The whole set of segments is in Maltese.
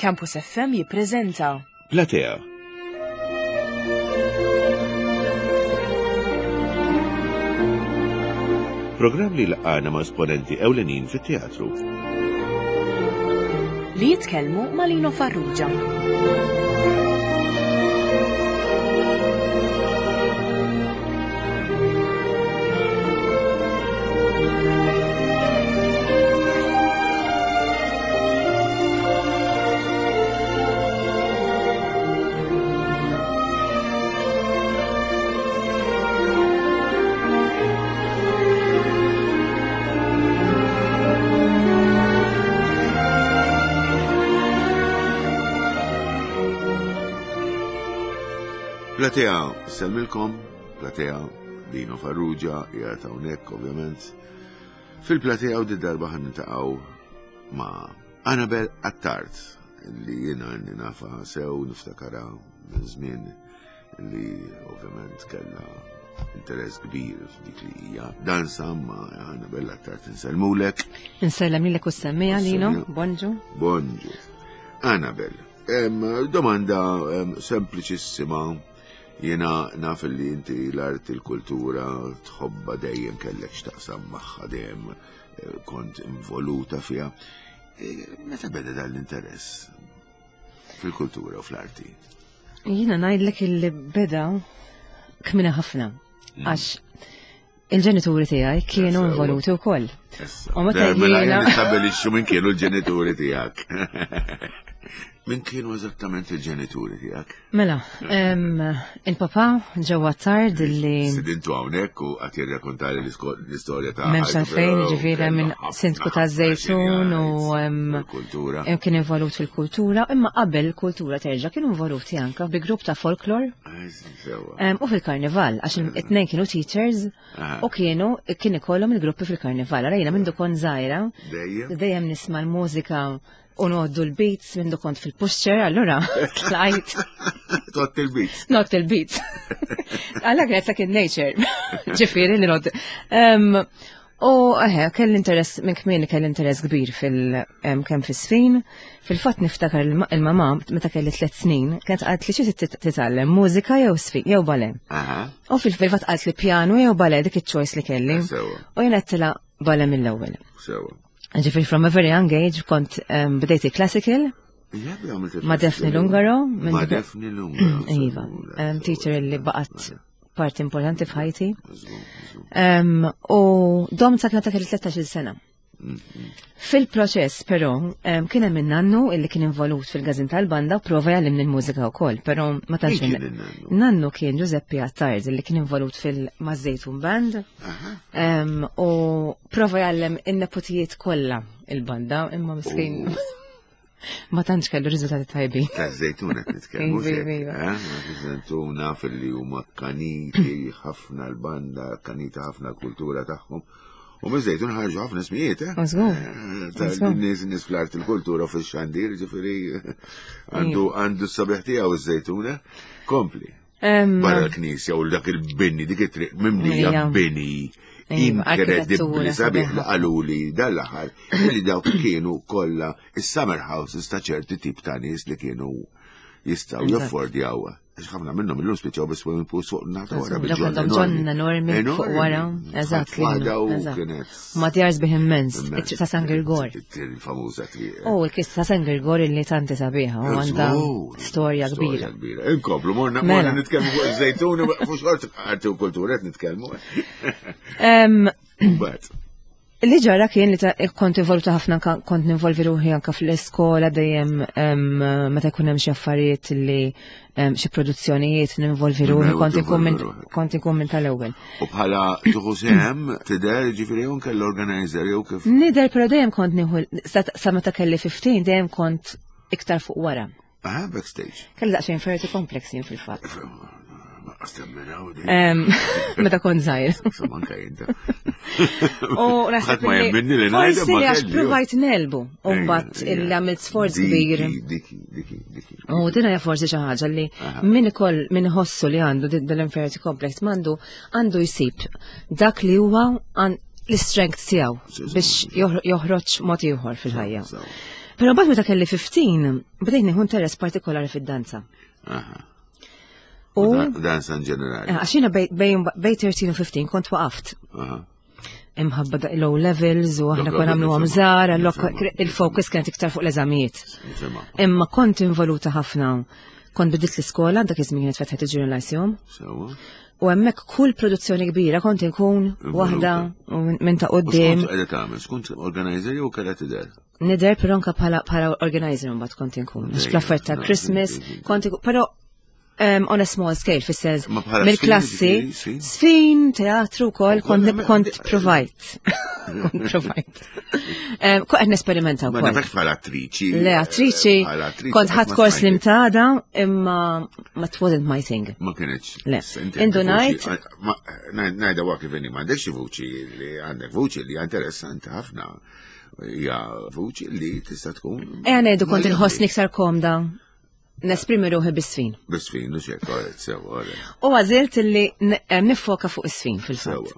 Campus FM jippreżenta Platea. Programm li laqgħana ma' esponenti ewlenin fit-teatru. Li jitkellmu ma' Lino Farrugia. Platea, sellmilkom, Platea, Dino Farrugia, qiegħed hawnhekk ovvjament. Fil-platea u darba ħan niltaqgħu ma' Annabel Attard li jiena inni nafa sew niftakara minn żmien li ovvjament kellha interess kbir f'dik li hija danza ma' Annabel Attard insellmulek. Insellem lilek u semmija Lino, bonġu. Bonġu. Annabel, domanda sempliċissima Jiena naf li inti l-arti l-kultura tħobba dejjem kellek x'taqsam magħha dejjem eh, kont involuta fiha. Eh, meta beda dan l-interess fil-kultura u fl-arti? Jiena ngħidlek illi beda kmina ħafna. Mm. Għax il-ġenituri tiegħi kienu involuti wkoll. U meta mela jiena nistabilixxu minn kienu l-ġenituri tiegħek. Min kienu eżattament il-ġenituri tiegħek? Mela, il-papa ġewwa tard li. Sidintu hawnhekk u qed jirrakontali l-istorja ta' M'hemmx għalfejn, ġifieri minn sindku ta' Żejtun u kultura. Kien involut fil-kultura, imma qabel il-kultura terġa' kienu involuti anke bi grupp ta' folklor. U fil-karnival, għax it-tnejn kienu teachers u kienu kien ikollhom il-gruppi fil-karnival. Għara jiena mindu kont żgħira, dejjem nisma' l-mużika u noddu l-beats mindu kont fil-pusher, allura tlajt. Tott il-beats. Not il-beats. Għalla kienet second nature. Ġifieri li noddu. U eħe, kelli interess, minn kmieni kelli interess kbir fil kemm fis-sfin. Fil-fatt niftakar il-mama meta kelli tlet snin, kienet qalt li xi titgħallem mużika jew sfin jew ballet. U fil-fatt qalt li pjanu jew ballet dik iċ-choice li kelli. U jien għedtilha ballet mill-ewwel. Ġifieri from a very young age kont bdejt il-classical. Ma' Daphne Lungaro. Ma' Daphne Lungaro. Iva, teacher li baqgħet parti importanti f'ħajti. U dom sa ta' kelli 13 sena. Fil-proċess, però, kien hemm nannu illi kien involut fil-gazin tal-banda u prova jgħallimni l-mużika wkoll, però ma tantx. Nannu kien Giuseppe Attard illi kien involut fil-Mażejtun Band u prova jgħallem in-nepotijiet kollha il-banda, imma miskin. Ma tantx kellu riżultati tajbin. Ta' żejtun qed nitkellmu. Iva, iva. Eh, Żejtun naf li huma kaniti ħafna l-banda, kaniti ħafna l-kultura tagħhom. U minn żejtun ħarġu ħafna smijiet, eh? eh nies nies fl-art il-kultura fix-xandir, ġifieri għandu għandu s-sabiħ tiegħu iż-żejtun, eh? Kompli. Barra l-knisja u dak il-bini, dik it-triq mimlija bini. Inkredibbli sabiħ li qaluli dal-aħħar li dawk kienu kollha is-summer houses ta' ċerti tip ta' nies li kienu jistgħu jaffordjaw. Għax ħafna minnhom illum spiċċaw bi swimming pool fuq naħta wara bil-ġonna. Ġonna enormi fuq wara, eżatt. Kienet. Ma djar sbieħ immens, it-triq ta' San Girgor. Il-famuża triq. U l-kista ta' San Girgor illi tanti sabiħa u għandha storja kbira. Inkomplu, morna morna mela. nitkellmu fuq iż-żejtun, fuq xort arti u kultura qed nitkellmu. Mbagħad. Li ġara kien li kont involuta ħafna kont ninvolvi ruħi anka fl-iskola dejjem meta jkun hemm xi affarijiet li xi produzzjonijiet ninvolvi ruħi kont inkun minn kont inkun minn tal-ewwel. U bħala tuħu sehem tidher ġifieri jew kell organizer jew kif? Nidher però dejjem kont nieħu sa meta kelli 15 dejjem kont iktar fuq wara. Aha, backstage. Kelli daqsxejn inferiority complex jien fil-fatt. Meta kont żgħir. U naħseb ma jemminni li ngħid. Forsi għax provajt nelbu u mbagħad illi għamilt sforz kbir. U din hija forsi xi ħaġa li min ikoll min iħossu li għandu dal-inferiority complex m'għandu għandu jsib dak li huwa l-strength tiegħu biex joħroġ mod ieħor fil-ħajja. Però mbagħad meta kelli 15, bdejt nieħu interess partikolari fid-danza. U danza in ġenerali. Eh, għax jiena bejn 13 u 15 kont waqaft. Imħabba da low levels u aħna konna nagħmlu żgħar, il-focus kienet iktar fuq l-eżamijiet. Imma kont involuta ħafna. Kont bidilt l-iskola, dak iż-żmien kienet fetħet il-Junior Lyceum. U hemmhekk kull produzzjoni kbira kont inkun waħda minn ta' quddiem. Skont qiegħda tagħmel, skont organizer jew kellha tidher? Nidher però anke bħala organizer mbagħad kont inkun. Għax fl-affarijiet ta' Christmas kont inkun, però um, on a small scale, fis-sens mill-klassi, sfin, teatru wkoll kont kont provajt. Kont provajt. Kont qed nesperimenta wkoll. Ma nafx bħala attriċi. Le attriċi. Kont ħadd kors li mtada imma ma it wasn't my thing. Ma kienx. Le. Indunajt. Najda wa kif inni m'għandekx vuċi li għandek vuċi li interessanti ħafna. Hija vuċi li tista' tkun. Ejja ngħidu kont inħossni iktar komda nesprimi ruħi bis-sfin. Bis-sfin, u xek, sewa. U għażilt li nifoka fuq is-sfin fil-fatt.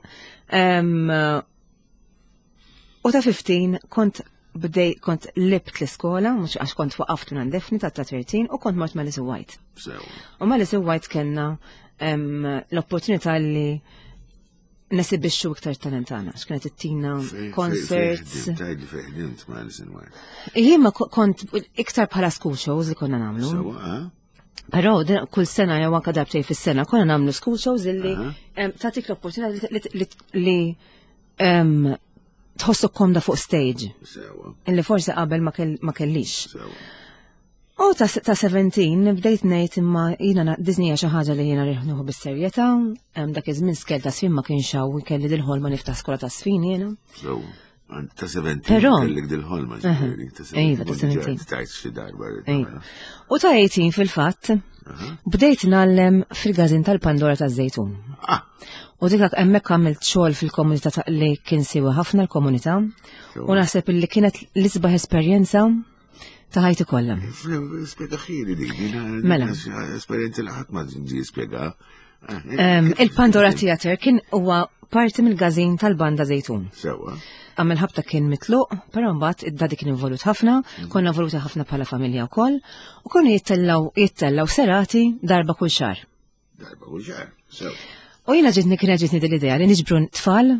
U ta' 15 kont bdej kont libt l-iskola, mhux għax kont waqaft minn Defni ta' 13 u kont mort ma' Lizzie White. U ma' Lizzie White kellna l-opportunità li nesibixxu iktar talent tagħna, għax kienet ittina concerts. Tgħidli fejn ħdimt ma' Alison White. Jien ma kont iktar bħala school shows li konna nagħmlu. Sewa, eh? Però kull sena jew anke darbtejn fis-sena konna nagħmlu school shows illi tagħtik l-opportunità li tħossok komda fuq stage. Sewa. Illi forsi qabel ma kellix. Sewa. U ta' 17 bdejt ngħid imma jiena Disney hija xi ħaġa li jiena rieħ bis-serjetà, dak iż-żmien skel ta' sfin ma kienx hawn kelli dil-ħolma niftaħ skola ta' sfin jiena. Ta' 17 Però kellek dil-ħolma ġifieri, ta' 17. Iva, ta' 17. Tajt xi darba. Iva. U ta' 18 fil-fatt, bdejt nallem fil-gazin tal-Pandora ta' Zejtun. Ah. U dik hemmhekk għamilt xogħol fil-komunità ta' li kien siwa ħafna l-komunità u naħseb li kienet l-isbaħ esperjenza ta' ħajti kollha. Spjega ħili din, mela. Esperjenza li ħadd ma ġi spjega. Il-Pandora Theater kien huwa parti mill-gazin tal-banda Zejtun. Sewa. Għamil ħabta kien mitluq, però mbagħad id-dadi kien involut ħafna, mm. konna involuti ħafna bħala familja wkoll, u konu jittellaw jittellaw serati darba kull xahar. Darba kull xahar, sewa. U jiena ġitni kien ġitni din l-idea li niġbru tfal,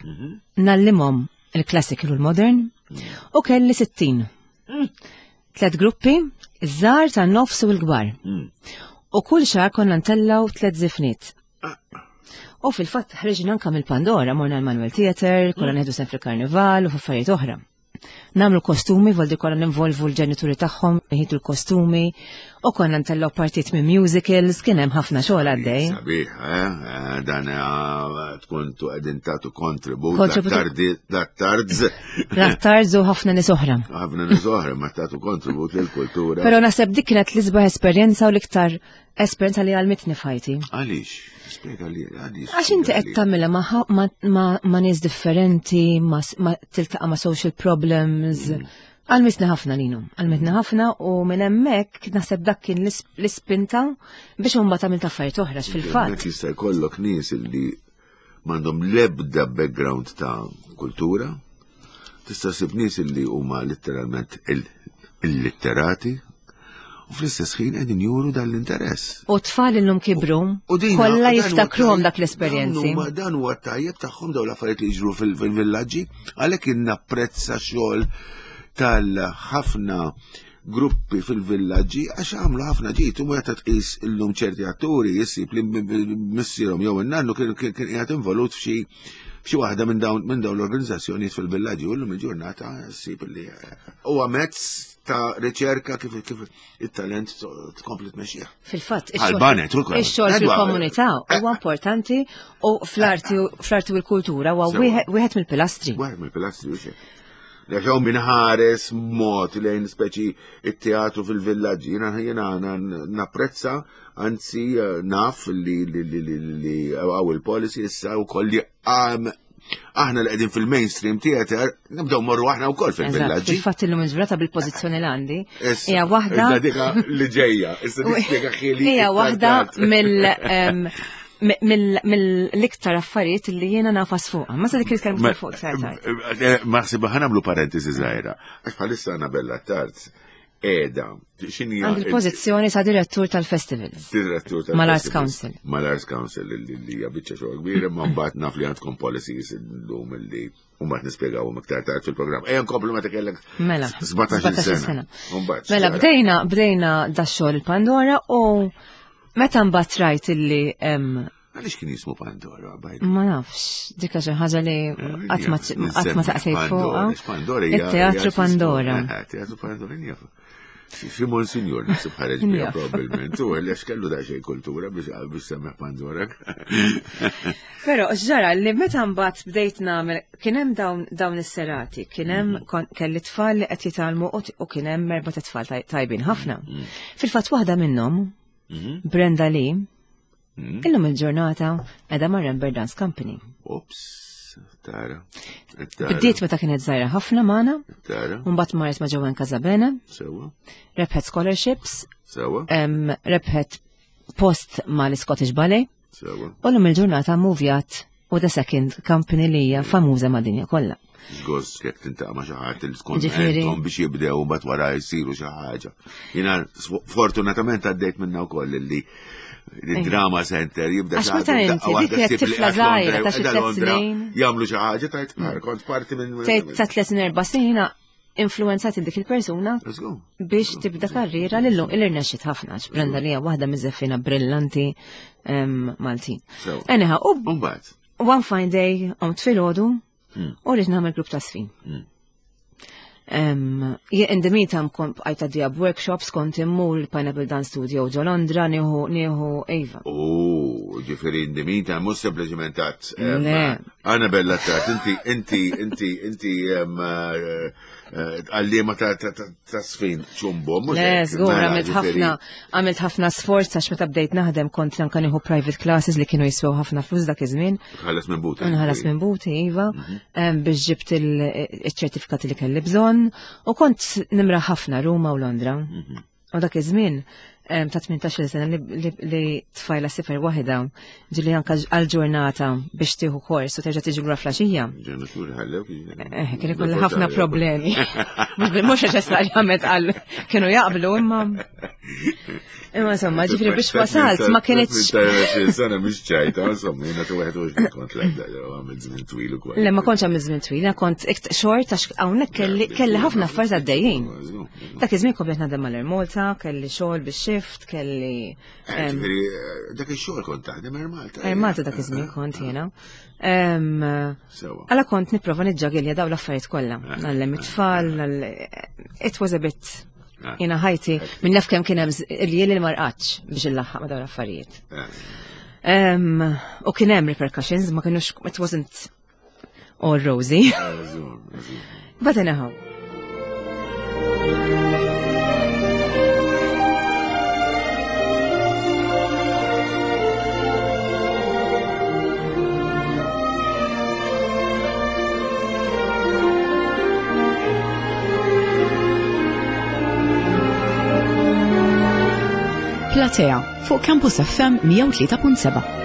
mhm. nallimhom il-classical u l-modern, mm. u kelli 60. Mm. Tlet gruppi, iż-żgħar tan-nofs u l-kbar. Mm. U kull xahar konna ntellaw tlet żifniet. Ah. U fil-fatt ħriġna anka mill-Pandora, morna l-Manuel Theater, konna mm. neħdu sem fil-Karnival u f'affarijiet oħra. Namlu kostumi, voldi konna ninvolvu l-ġenituri tagħhom, nħitu l-kostumi, u konna ntellgħu partit minn musicals, kien hemm ħafna xogħol għaddej. Sabiħ, eh? eh dan eh, tkun tu qegħdin tagħtu kontribut l-attards. L-attards u ħafna nies oħra. Ħafna nies oħra ma tagħtu kontribut lill-kultura. Però naħseb dik kienet l-isbaħ esperjenza u l-iktar Esperjenza li għalmitni f'ħajti. Għaliex? Spjega li għaliex. Għax inti qed tagħmilha ma' nies differenti, ma tiltaqa' ma' social problems. Mm. Għalmitni ħafna linu, għalmitni ħafna u minn hemmhekk naħseb dak kien l-ispinta biex imbagħad għamilt affarijiet oħra fil-fatt. Hemmhekk jista' jkollok nies li m'għandhom l-ebda background ta' kultura, tista' ssib nies li huma letteralment illitterati u fl-istess ħin qegħdin juru dan l-interess. U tfal illum kibru, kollha jiftakruhom dak l-esperjenzi. Dan huwa tajjeb tagħhom dawn l-affarijiet li jiġru fil-villaġġi, għalhekk napprezza xogħol tal-ħafna gruppi fil-villaġġi għax għamlu ħafna ġid u meta tqis illum ċerti atturi jissib li missierhom jew in-nannu kien qiegħed involut f'xi f'xi waħda minn dawn minn dawn l-organizzazzjonijiet fil-villaġġi u llum il-ġurnata ssib li eh, huwa mezz ta' riċerka kif kif it-talent tkompli tmexxih. Fil-fatt, ix-xogħol fil-komunità huwa importanti u fl-arti fl-arti u l-kultura huwa wieħed mill-pilastri. Wieħed mill-pilastri u Jekk hawn min ħares mod lejn speċi it-teatru fil-villaġġi, jiena jiena napprezza, anzi eh, naf li li hawn il-policy issa wkoll li aħna li qegħdin fil-mainstream theater nibdew morru aħna wkoll fil-villaġġi. Fil-fatt illum il-ġurnata bil-pożizzjoni l għandi hija waħda li ġejja, issa nispjega ħili. Hija waħda mill mill-iktar affarijiet li jiena nafas fuqha. Ma se dik nitkellmu fuq iktar tard. Eh, eh, ma ħsibha ħa nagħmlu parentesi żgħira. Għax bħalissa Anabella Tard qiegħda x'inhi Għand il-pożizzjoni ta' direttur tal-festivals. Direttur tal Mal-Arts Council. Mal-Arts Council li hija biċċa xogħol kbir, imma mbagħad naf li għandkom policies illum li U mbagħad nispjegawhom iktar tard fil-programm. Ejja nkomplu meta kellek mela, 17 sena. Mela bdejna bdejna dax-xogħol il-Pandora u meta mbagħad rajt illi Għaliex kien jismu Pandora? Ma nafx, dik xi ħaġa li eh, qatt ma taqsejt fuqha. Pandora It-Teatru Pandora. Eh, teatru Pandora Xi Monsignor naħseb ħareġ biha probabbilment, u għaliex kellu daqsxejn kultura biex biex semmeħ Pandora. Però ġara li meta mbagħad bdejt nagħmel kien hemm dawn dawn is-serati, kien hemm mhm. kelli tfal li qed jitgħallmu u kien hemm erba' tfal tajbin ħafna. Mhm. Fil-fatt waħda minnhom, mhm. Brenda Lee, Hmm? Illum il-ġurnata edha ma' Rember Dance Company. Ops, tara. Bdiet meta kienet żgħira ħafna magħna. Tara. Mbagħad marret ma' Ġowen Casabene. Sewa. Rebħet scholarships. Sewa. Rebħet post ma' l-Scottish Ballet. Sewa. U l-lum il-ġurnata movjat u The Second Company li hija famuża mad-dinja kollha. Żgost jekk tintaqa' ma' xi ħadd li tkun għedhom biex jibdew mbagħad wara jsiru xi ħaġa. Jiena fortunatament għaddejt minna wkoll li il-drama center jibda xi ħaġa. Inti dik kienet tifla żgħira ta' xi tliet snin. Jagħmlu xi ħaġa tajt kont parti minn. Tgħid ta' tliet snin erba' snin jiena influenzat dik il-persuna biex tibda karriera lillu il-irnexxit ħafna għax Brenda li hija waħda miż-żeffina brillanti Maltin. Anyhow, u one fine day qomt filgħodu hmm. u rrid nagħmel grupp ta' sfin. Hmm. In the meantime kont bqajt għaddija b'workshops kont immur il-Pineapple Dance Studio ġo Londra nieħu nieħu Eva. U ġifieri in the meantime mhux sempliċement għat. Anna Bella Tart, inti inti inti inti eh, għalliema ta' sfin ċumbo. Le, żgur, mela, għamilt ħafna, għamilt ħafna sforz għax meta bdejt naħdem kont anka nieħu private classes li kienu jiswew ħafna flus dak iż-żmien. Ħalas minn buti. Nħallas minn buti, iva, mhm. biex ġibt il-ċertifikati li kelli bżonn u kont nimra ħafna Ruma u Londra. Mhm. U dak iż-żmien ta' 18 sena li tfajla sifer waħda ġili anka għal-ġurnata biex tieħu kors u terġa' tiġi lura flaxija. Ġenituri ħallew eh, kien ikolli ħafna problemi. Mhux neċessarjament għal kienu jaqblu imma. Imma insomma, ġifri biex wasalt ma kienx. Sena mhux ċajta, insomma, jiena tu wieħed u kont l-ebda għamil żmien twil ukoll. Le ma kontx għamil żmien twil, kont xort għax hawnhekk kelli ħafna affarijiet għaddejjin. Dak iż-żmien kont qed naħdem mal-Air Malta, kelli xogħol bix-shift, kelli. Eh, ġifieri eh, dak ix-xogħol kont taħdem Air Malta. Air Malta dak iż-żmien kont jiena. Għala kont nipprova niġġagilja daw l-affarijiet kollha. Eh, Nallem it-tfal, it was a bit jiena ħajti minn naf kemm kien hemm il-jien li marqatx biex illaħħaq ma dawn l-affarijiet. U kien hemm repercussions, ma kienux it wasn't all rosy. But anyhow. Platea fuq Campus FM 103.7.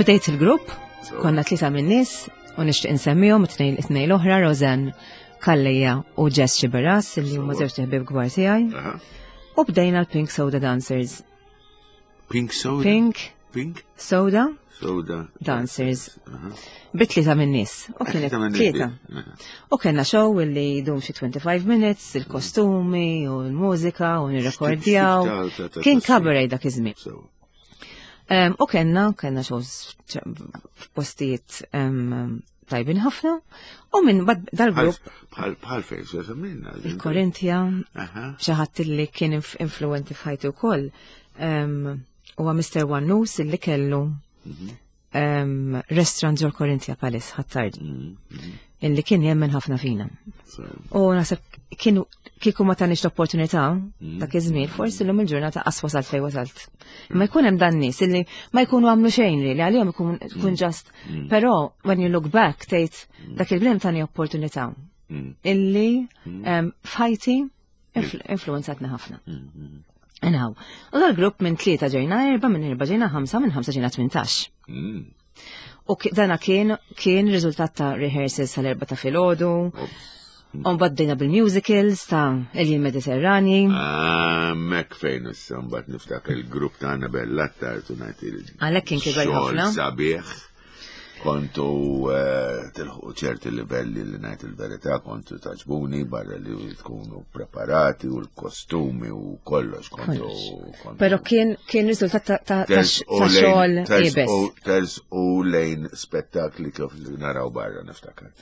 Bdejt il-grupp, konna tlieta minn nies u nixtieq insemmihom it-tnejn l-oħra Rosanne Kalleja u Jess Xiberas li huma żewġ ħbieb kbar tiegħi. U bdejna l-Pink Soda Dancers. Pink Soda? Pink. Pink? Soda. Soda. Dancers. Bi tlieta minn nies. U kienet tlieta. U kellna show illi jdum xi 25 minutes, il-kostumi u l-mużika u nirrekordjaw. Kien cabaret dak iż-żmien. U kellna, kellna shows f'postijiet. tajbin ħafna u minn dal-grupp. Bħal fejn, se semmilna. Il-Korintja, xi ħadd li kien influenti f'ħajti wkoll, huwa Mr. Wannus illi kellu mhm. restaurant ġol Korinthia Palace ħattard. Mhm. Illi kien jemmen ħafna fina. U naħseb kienu kieku ma tanix l-opportunità mm. dak iż-żmien, forsi llum il-ġurnata qas wasalt fejn wasalt. Ma jkun hemm dan nies illi ma jkunu għamlu xejn li għalihom ikun tkun mm. ġast. Mm. Però when you look back tgħid dak il-bnem tani opportunità illi f'ħajti influenzatni ħafna. Anyhow, u dal-grupp minn tlieta ġejna erba, minn erba ġejna ħamsa, minn ħamsa ġejna 18. U dana kien kien riżultat ta' rehearsals sal-erba ta' filgħodu. Umbagħad bdejna bil-musicals ta' Elin Mediterrani. Ah, mek fejn issa mbagħad niftakar il-grupp tagħna Bella Tartu ngħid il. Għalhekk kien kiber ħafna. Sabiħ. Kontu eh, tilħu ċerti livelli li ngħid il-verità kontu taġbuni barra li tkunu preparati u l-kostumi u kollox kontu. Però kien kien riżultat ta' xogħol iebes. Ters u lejn spettakli kif naraw barra niftakar.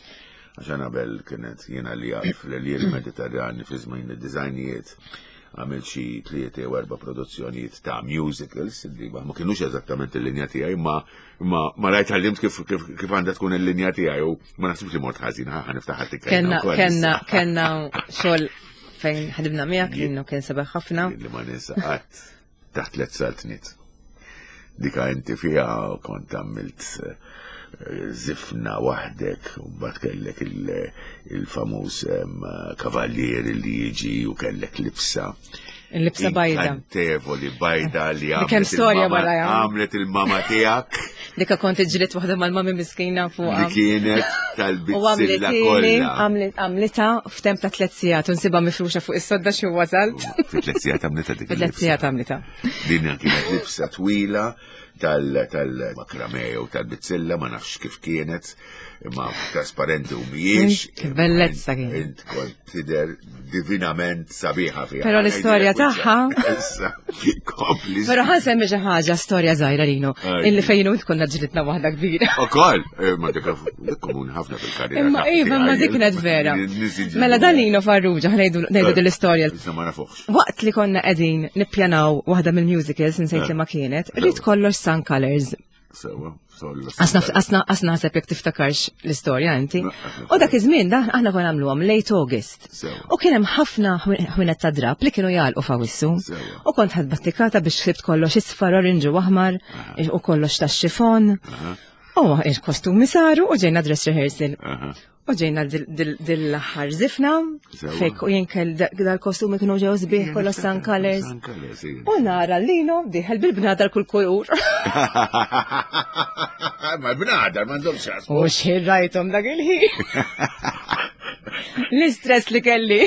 Għax qabel kienet jiena li għaf l-Elir Mediterrani fi żmien id-dizajnijiet għamil xi tlieta jew erba' produzzjonijiet ta' musicals li ma kinux eżattament il-linja tiegħi ma Ma ma rajt għallimt kif kif kif għandha tkun il-linja tiegħi u ma naħsibx li mort ħażin ħa niftaħ ħadd Kenna kenna kenna xogħol fejn ħadibna miegħek innu kien sabiħ ħafna. Li ma ninsa qatt taħt tliet saltniet. Dika inti fiha kont għamilt eh, zifna waħdek u mbagħad kellek il-famuż kavallier li jiġi u kellek libsa. Il-libsa bajda. Kantevoli bajda li għamlet. Kemm storja wara Għamlet il-mama tiegħek. Dika kont iġrit waħda mal-mami miskina fuq. Li kienet tal-bizzilla kollha. Għamlita f'temp ta' tliet sigħat u nsibha mifruxa fuq is-sodda xi wasalt. Fi tliet sigħat għamlita dik. Fi tliet sigħat għamlita. Din kienet libsa twila tal-makrame jew tal-bizzilla ma nafx kif kienet imma trasparenti u mhijiex. Kif bellezza kien. Int kont tidher divinament sabiħa fiha. Però l-istorja tagħha. Issa, kompli. Però ħa nsemmi xi ħaġa storja żgħira Lino, illi fejn int konna ġlidna waħda kbira. Ukoll, eh, ma dik komuni ħafna fil-karriera. Imma iva, ma dik kienet vera. Mela dan Lino Farrugia ħnejdu ngħidu din l-istorja. Issa ma nafuħx. Waqt li konna qegħdin nippjanaw waħda mill-musicals insejt li ma kienet, rrid kollox Sun Colors. Sewa, Asna naħseb jekk tiftakarx l-istorja inti. U dak iż-żmien da aħna konna nagħmluhom late August. U kien hemm ħafna ħwienet ta' drab li kienu jagħlqu f'Awissu. U kont ħadd battikata biex ħsibt kollox isfar, orange u aħmar u kollox tax-xifon. U il-kostumi saru u ġejna dress rehearsal. U ġejna dil-aħħar zifna, fejk u jinkel dal-kostumi kienu ġew sbieħ kollha sun colors. U nara lino diħel bil-bnadar kull kulur. Ma l-bnadar m'għandhomx xasbu. U xħin rajthom dak il-ħin. L-istress li kelli.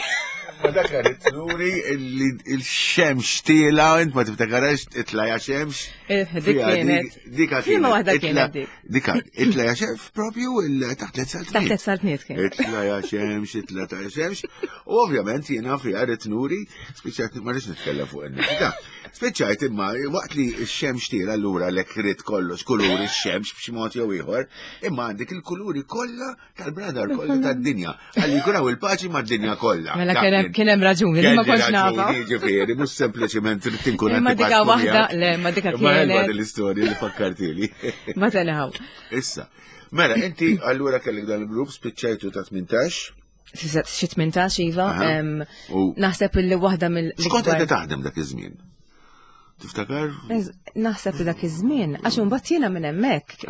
Ma dak għarit luri il-xemx tila, int ma tiftakarax itla xemx. Eh, dik kienet. Dik kienet. waħda kienet dik. Dika, itla ja xemx propju taħt tliet saltniet. Taħt tliet saltniet kien. Itla ja xemx, itla ta' xemx. U ovvjament jiena fiha rrid nuri, spiċċajt ma rridx nitkellem fuq in-nifta. Spiċċajt imma waqt li x-xemx tiela allura lek rid kollox kuluri x-xemx b'xi mod jew ieħor, imma għandek il-kuluri kollha tal-bradar kollha tad-dinja. Għalli jkun hawn il-paċi mad-dinja kollha. Mela kien hemm raġuni li ma kontx nafa. Ġifieri, mhux sempliċement trid tinkun Ma dika waħda, le, ma dika kienet. Ma l-istorja li fakkartili. Ma tenħaw. Issa, mela inti allura kellek dan il-grupp spiċċajtu ta' 18. Xi 18 iva. Naħseb illi waħda mill. X'kont qed taħdem dak iż-żmien? Tiftakar? Naħseb li dak iż-żmien, għax imbagħad jiena minn hemmhekk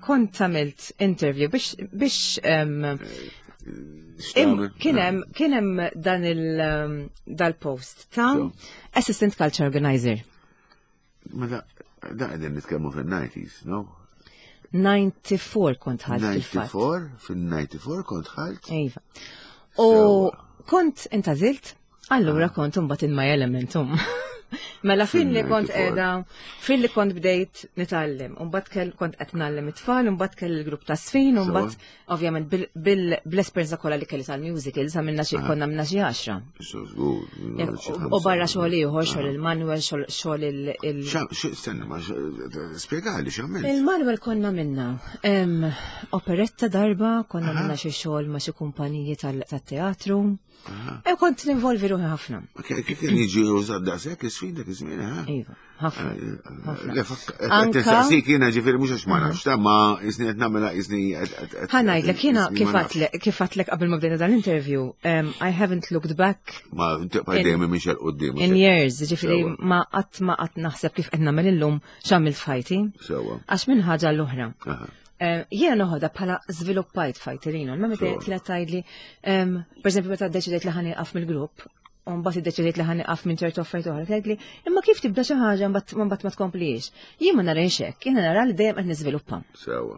kont għamilt interview biex biex kien hemm kien hemm dan il dal-post ta' Assistant Culture Organizer. Mela da qegħdin nitkellmu fin-90s, no? 94 kont ħalt fil-fatt. 94? Fin-94 kont ħalt? Iva. U kont intażilt, allura kont imbagħad in my elementum. Mela fil-li kont qiegħda, fil-li kont bdejt nitgħallem, u mbagħad kell kont qed ngħallem it-tfal, u mbagħad kell il-grupp ta' sfin, u mbagħad ovvjament bl-esperjenza kollha li kelli tal-musicals għamilna xi konna għamilna xi għaxra. U barra xogħol ieħor, xogħol il-Manuel, xogħol il- Stenna, ma spjegali x'għamilt. Il-Manuel konna minna operetta darba, konna minna xi xogħol ma' xi kumpaniji tat-teatru. E kont ninvolvi ruħi ħafna. Kif kien jiġi użat daqshekk is-sfida dak iż-żmien, ha? Iva, ħafna. Eh, eh, Saqsik jiena ġifieri mhux għax ma nafx, ta' ma jisni qed nagħmilha jisni. Ħa ngħidlek jiena kif għatlek qabel ma bdejna dan l-interview, I haven't looked back. Ma tibqa' dejjem mhix għal quddiem. In years, ġifieri ma qatt ma qatt naħseb kif qed nagħmel illum x'għamilt f'ħajti. Sewwa. Għax minn ħaġa l-oħra. Eh, jiena noħodha bħala żviluppajt fajterina, ma meta kienet tgħidli, per eżempju meta ddeċidejt li ħaniqaf mill-grupp, u mbagħad iddeċidejt li ħaniqaf minn ċertu affarijiet oħra, tgħidli, imma kif tibda xi ħaġa mbagħad ma tkomplix. Jien ma narajx hekk, jiena nara li dejjem qed niżviluppa. Sewwa.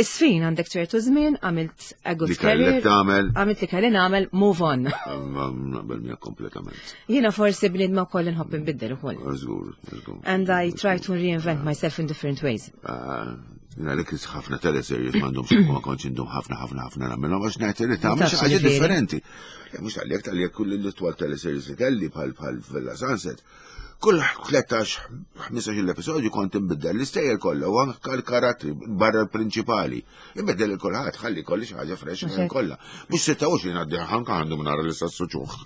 Isfin għandek ċertu żmien, għamilt a good career. Għamilt li kelli nagħmel, move on. Naqbel miegħek kompletament. Jiena forsi bniedma wkoll inħobb inbiddel ukoll. Żgur, żgur. And I try to reinvent myself in different ways. Ah, Jina li kis ħafna teleseries m'għandhomx ma kontx indum ħafna ħafna ħafna nagħmilhom għax ngħid li tagħmel xi ħaġa differenti. Mhux għalhekk tal-jekk kull l-itwal teleseries li kelli bħal bħal Villa Sunset. Kull 13-15 l-episodju kont inbiddel l-istejjer kollha u anke l-karattri barra l-prinċipali. Inbiddel il-kulħadd ħalli kolli xi ħaġa fresh kollha. Mhux 26 għaddi ħanka għandu nara l-istess suċuħ.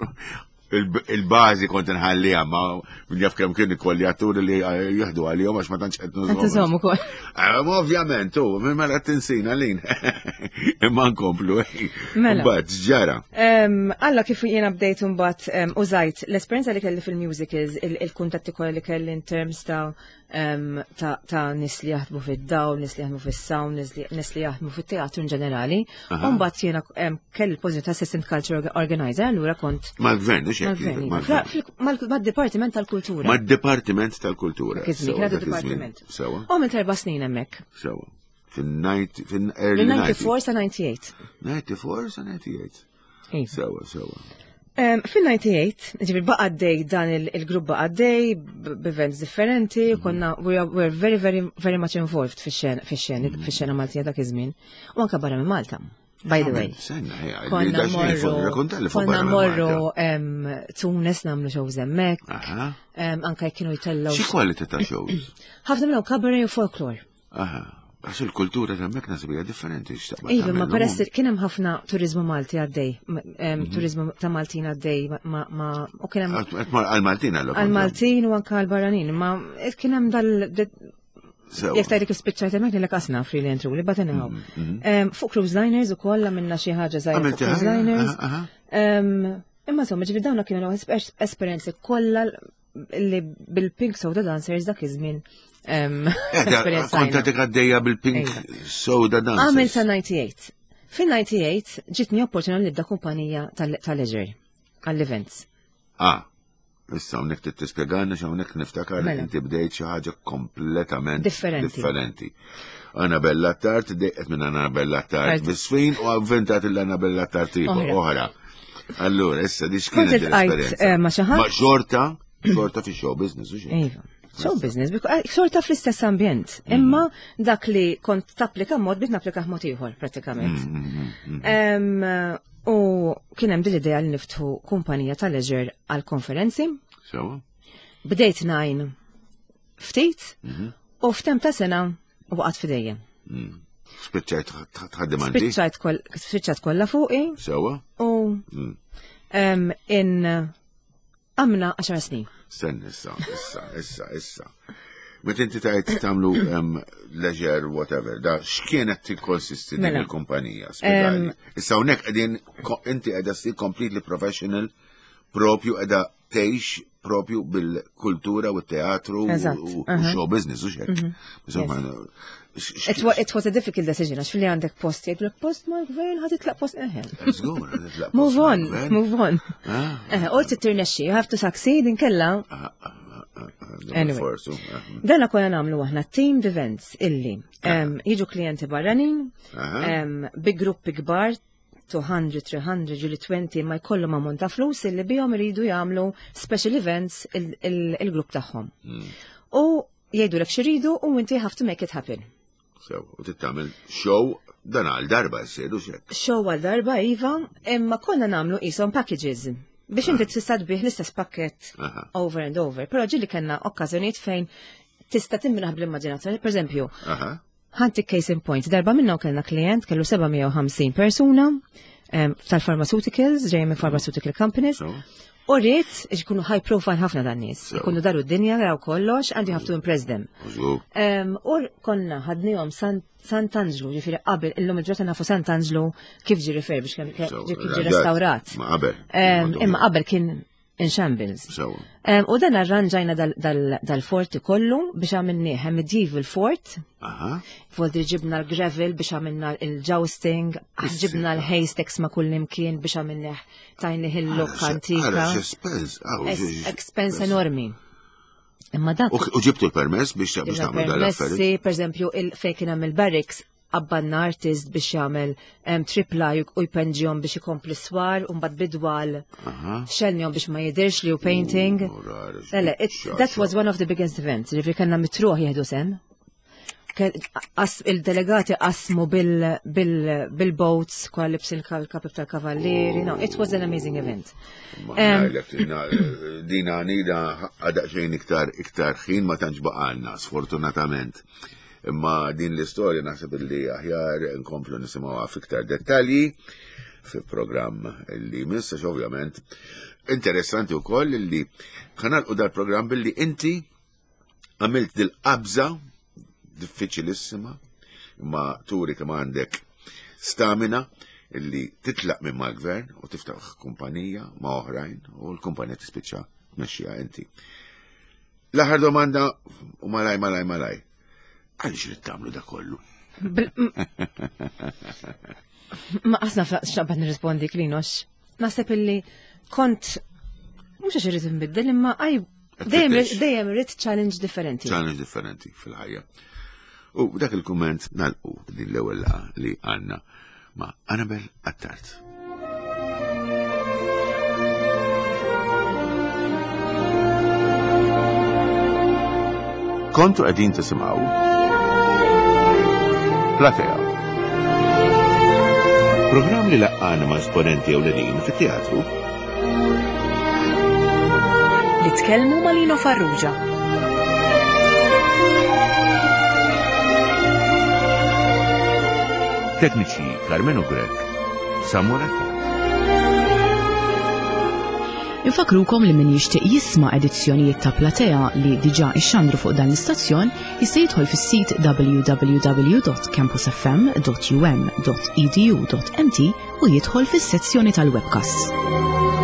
il-bażi kont inħalliha ma min jaf kemm kien ikolli atturi li eh, jieħdu għalihom għax ma tantx qed nużhom. ukoll. Eh, ovvjament, u minn mela tinsina lin. Imma nkomplu. Eh. Mela. Mbagħad ġara. Alla kif jiena bdejt imbagħad użajt l-esperjenza li kelli fil-musicals, il-kuntatti kollha li kelli in terms ta' ta' nis li jaħdmu fid-dawl, nis li jaħdmu fis-sound, nis li jaħdmu fit-teatru in ġenerali. Mbagħad jiena kelli l-pożizzjoni ta' assistant culture organizer, allura kont. Mal-gvern, mhux hekk. Mad-Dipartiment tal-Kultura. Mad-Dipartiment tal-Kultura. Kien dipartiment. Sewa. U minn erba' snin hemmhekk. Sewa. Fin-94 sa 98. 94 sa 98. Iva. Sewa, sewa. Fil-98, ġifir baqa għaddej dan il-grupp baqa għaddej, b'events differenti, mhm. konna, we were very, very, very much involved fix-xena mhm. Maltija dak iż-żmien, u anka barra minn Malta. By the way. Konna morru, konna morru Tunis namlu shows hemmhekk. Anka kienu jtellgħu. Xi kwalità ta' shows? Ħafna minnhom cabaret u folklore. Aha. Għax il-kultura ta' hemmhekk nasib hija differenti x'taqbad. Iva, ma peress kien hemm ħafna turizmu Malti għaddej, mhm. turizmu ta' Maltin għaddej ma u kien hemm. Għal-Maltin għal Għal-Maltin u anke għal-barranin, ma kien hemm dal Jek tajdi kif spiċċajt hemmhekk lilek qasna free li entru li but anyhow. Mhm, mhm. Fuq cruise liners ukoll għamilna xi ħaġa żgħira fuq cruise liners. Imma insomma, ġifieri dawna kienu esperjenzi kollha li bil-Pink Soda Dancers dak iż-żmien. Eh, kont għadek għaddejja bil-Pink iva. Soda Dancers. Għamil sa 98. Fin-98 ġitni opportunità nibda kumpanija tal-leisure għall-events. Ah, issa hawnhekk trid tispjegana x'hawnhekk niftakar li mela. inti bdejt xi ħaġa kompletament differenti. Anabella Tart, dejqet minn Anabella Tart bisfin u avventat l-Anabella Tart oħra. Allura, issa di x'kienet l-esperjenza? Eh, ma xi ħadd? Ma xorta, xorta fi show business u xejn. Iva. Show business, eh, xorta fl-istess ambjent. Mm. Imma dak li kont tapplika mod biex napplika mod ieħor pratikament. Mm, mm, u kien hemm din l-idea li niftħu kumpanija ta' leisure għal konferenzi. Sewa. Bdejt najn ftit mhm. u f'tem ta' sena waqgħet fidejja. Mm. Spiċċajt tħaddim għandi? Spiċċajt kollha fuqi. Sewa. U mm. in għamna 10 snin. Sen issa, issa, issa, issa. Meta inti tajt tagħmlu leisure whatever, da x'kienet tikkonsisti din mela. il-kumpanija? Issa hawnhekk qegħdin inti qiegħda ssir completely professional propju qiegħda tgħix propju bil-kultura u t-teatru u show business u xek. Mhm. It was a difficult decision, għax fil-li għandek post, jgħidlek post ma' gvern, ħad titlaq post eħe. Move on, move on. Ah. U tirnexxi, you have to succeed inkella. Ah, ah, anyway. Dana konna namlu aħna team events illi jiġu klijenti barranin, bi gruppi kbar. 200, 300, ġieli 20 ma jkollhom ammont ta' flus illi bihom iridu jagħmlu special events il-grupp tagħhom. U jgħidulek x'iridu u inti have to make it happen. Sew, u tittamel show dan għal darba jsir u xek. Show għal darba, iva, imma konna nagħmlu qishom packages biex inti tista' tbih l-istess pakket over and over. Però ġieli kellna okkażjonijiet fejn tista' timraħ bl-immaġinazzjoni. Per eżempju, ħantik case in point, darba minnhom kellna klient kellu 750 persuna tal-pharmaceuticals, ġejjin minn pharmaceutical companies. U rrid ikunu high profile ħafna dan nies. Ikunu daru d-dinja, raw kollox, and you have to impress them. U konna ħadnihom Sant'Anġlu, ġifieri qabel illum il-ġurnata nafu Sant'Anġlu kif ġie refurbished, kif ġie restawrat. Ma qabel. Imma qabel kien in shambles. U dan arranġajna dal-forti kollu biex għamilnieh medieval fort. Voldi ġibna l-gravel biex għamilna il-jousting, ġibna l-haystacks ma' kull imkien biex għamilnieh tajnih il-look antika. Expense enormi. Imma dak. U ġibtu l-permess biex tagħmlu dal-affarijiet. Per eżempju, fejn kien hemm il-barracks qabbanna artist biex jagħmel tripply u jpenġihom biex ikompli swar u mbagħad bidwal xelnihom biex ma jidhirx li hu painting. Le, that was one of the biggest events, ġifieri kellna mitruħ jieħdu sem. Il-delegati qasmu bil-boats kwa libsin il-kapib tal-kavallieri. No, it was an amazing event. Dina nida għadaqxejn iktar iktar ħin ma tantx baqalna, sfortunatament. Imma din l-istorja naħseb li aħjar nkomplu nisimgħuha fiktar dettalji fi programm li jmiss, għax ovvjament interessanti wkoll li ħanalqu dal-programm billi inti għamilt dil-qabża diffiċilissima imma turi kemm għandek stamina illi titlaq minn mal-gvern u tiftaħ kumpanija ma' oħrajn u l-kumpanija tispiċċa tmexxiha inti. L-aħħar domanda u malaj malaj malaj. Għaliex irid tagħmlu da kollu? Ma qasna x'naqbad nirrispondi Klinox. Naħseb illi kont mhux għax irid inbiddel imma għaj dejjem dejjem irid challenge differenti. Challenge differenti fil-ħajja. U dak il-kumment nalqu din l-ewwel laqgħa li għandna ma' Annabel Attard. Kontu qegħdin tisimgħu Platea. Programm li laqqana ma' esponenti ewlenin fit-teatru. Li tkellmu ma' Lino Farrugia. Tekniċi Carmenu Grech, Samu Rekord. Infakrukom li min jixtieq jisma' edizzjonijiet ta' Platea li diġà ixxandru fuq dan l-istazzjon jista' jidħol fis-sit www.campusfm.um.edu.mt u jidħol fis-sezzjoni tal-webcasts.